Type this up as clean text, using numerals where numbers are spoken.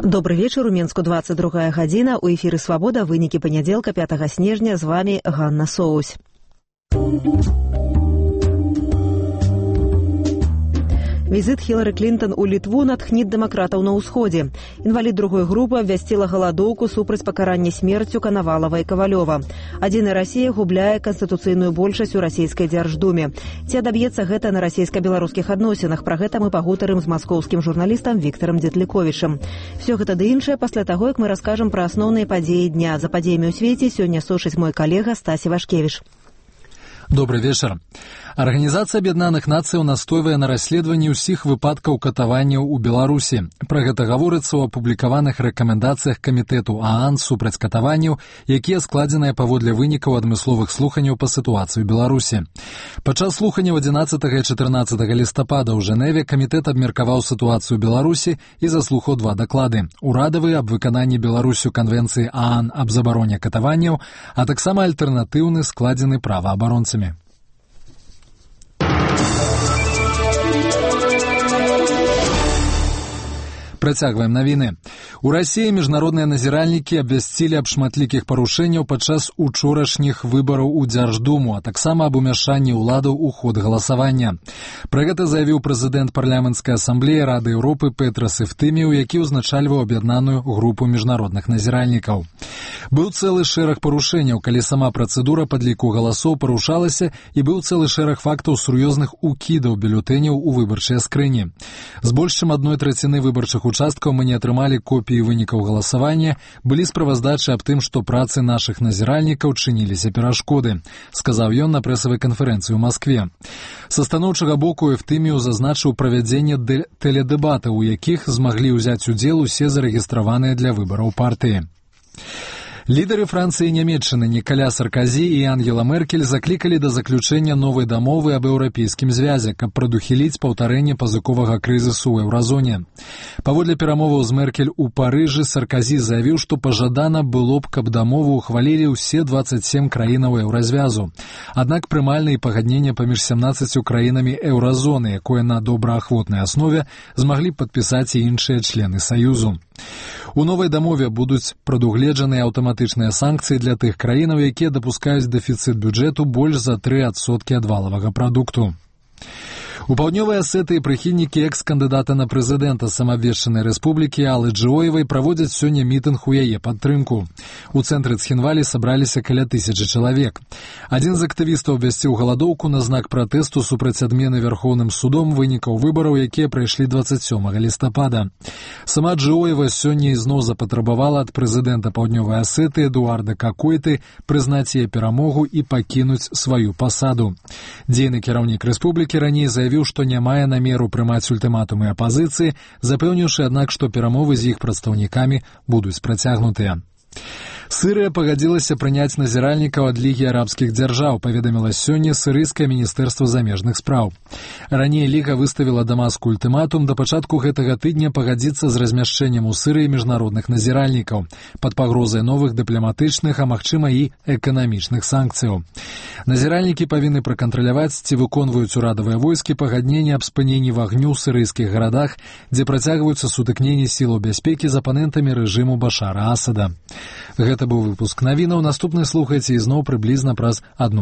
Добрый вечер. У Мінску 22 гадзіна. У эфіры «Свабода». Вынікі панядзелка 5 снежня. З вами Ганна Соусь. Візит Хілары Клінтон у Літву натхніць дэмакратаў на ўсходзе. Інвалід другой групы абвясціла галадоўку супраць пакарання смерцю Канавалава і Кавалёва. Адзіная Расія губляе канстытуцыйную большасць у расійскай дзярждуме. Ці адаб'ецца гэта на расійска-беларускіх адносінах? Пра гэта мы пагутарым з маскоўскім журналістам Віктарам Дзетліковічам. Всё гэта ды іншае пасля таго, як мы раскажам пра асноўныя падзеі дня. За падзеямі ў свеце сёння сушыць мой калега Стасі Вашкевіч. Добрый вечер. Арганізацыя Аб'яднаных Нацыяў настойвае на расследаванні ўсіх выпадкаў катаванняў у Беларусі. Пра гэта гаворыцца ў апублікаваных рэкамендацыях камітэту ААН супраць катаванняў, якія складзеныя паводле вынікаў адмысловых слуханняў па сітуацыі ў Беларусі. Падчас слуханняў 11 і 14 лістапада ў Жэневе камітэт абмеркаваў сітуацыю ў Беларусі і заслухаў два даклады. Урадавы аб выкананні Беларусю канвенцыі ААН аб забароне катаванняў, а таксама альтэрнатыўны складзены праваабаронцамі. Працягваем навіны. У Расіі міжнародныя назіральнікі абвясцілі аб шматлікіх парушэнняў падчас учорашніх выбараў у Дзярждуму, а таксама аб умяшанні ўладаў у ход галасавання. Пра гэта заявіў прэзідэнт парламенцкай асамблеі Рады Еўропы Петрас Эфтыміў, які ўзначальваў аб'яднаную групу міжнародных назіральнікаў. Быў цэлы шэраг парушэнняў, калі сама працэдура падліку галасоў парушалася, і быў цэлы шэраг фактаў сур'ёзных укідаў бюлетэняў у выбарчыя скрыні. З больш чым 1/3 выбарчых участкаў мы не атрымалі копіі вынікаў галасавання, былі справаздачы аб тым, што працы нашых назіральнікаў чыніліся перашкоды, сказаў ён на прэсавай канферэнцыі ў Маскве. Са станоўчага боку Эфтыміў зазначыў правядзенне тэледэбатаў, у якіх змаглі ўзяць удзел усе зарэгістраваныя для выбараў партыі. Лідары Францыі і Нямецчыны Нікаля Сарказі і Ангела Меркель заклікалі да заключэння новай дамовы аб еўрапейскім звязе, каб прадухіліць паўтарэнне пазыковага крызісу ў еўразоне. Паводле перамоваў з Меркель у Парыжы Сарказі заявіў, што пажадана было б, каб дамову ухвалілі ўсе 27 краінаў еўразвязу. Аднак прымальныя пагаднення паміж 17 краінамі еўразоны, якое на добраахвотнай аснове змаглі падпісаць і іншыя члены Саюзу. У новай дамове будуць прадугледжаныя аўтаматычныя санкцыі для тых краінаў, якія дапускаюць дэфіцыт бюджэту больш за 3% ад валавага прадукту. У Паўднёвай Асетыі прыхільнікі экс-кандыдата на прэзідэнта самаабвешчанай рэспублікі Аллы Джоевай праводзяць сёння мітынг у яе падтрымку. У цэнтры Цхінвалі сабраліся каля 1000 чалавек. Адзін з актывістаў абвясціў галадоўку на знак пратэсту супраць адмены Вярхоўным судом вынікаў выбараў, якія прайшлі 27 лістапада. Сама Джоева сёння ізноў запатрабавала ад прэзідэнта Паўднёвай Асетыі Эдуарда Какойты прызнаць яе перамогу і пакінуць сваю пасаду. Дзейны кіраўнік рэспублікі раней заявіў, што не мае намеру прымаць ультыматумы апазіцыі, запэўніўшы, аднак, што перамовы з іх прадстаўнікамі будуць працягнутыя. Сырыя пагадзілася прыняць назіральнікаў ад Лігі арабскіх дзяржаў, паведаміла сёння сірыйскае міністэрства замежных спраў. Раней Ліга выставіла Дамаску ультыматум да пачатку гэтага тыдня пагадзіцца з размяшчэннем у Сырыі міжнародных назіральнікаў пад пагрозай новых дыпламатычных, а магчыма і эканамічных санкцыяў. Назіральнікі павінны пракантраляваць, ці выконваюць урадавыя войскі пагадненне аб спыненні вагню ў сірыйскіх гарадах, дзе працягваюцца сутыкненні сілаў бяспекі з апанентамі рэжыму Башара Асада. Гэта быў выпуск навінаў. Наступны слухайце ізноў прыблізна праз 1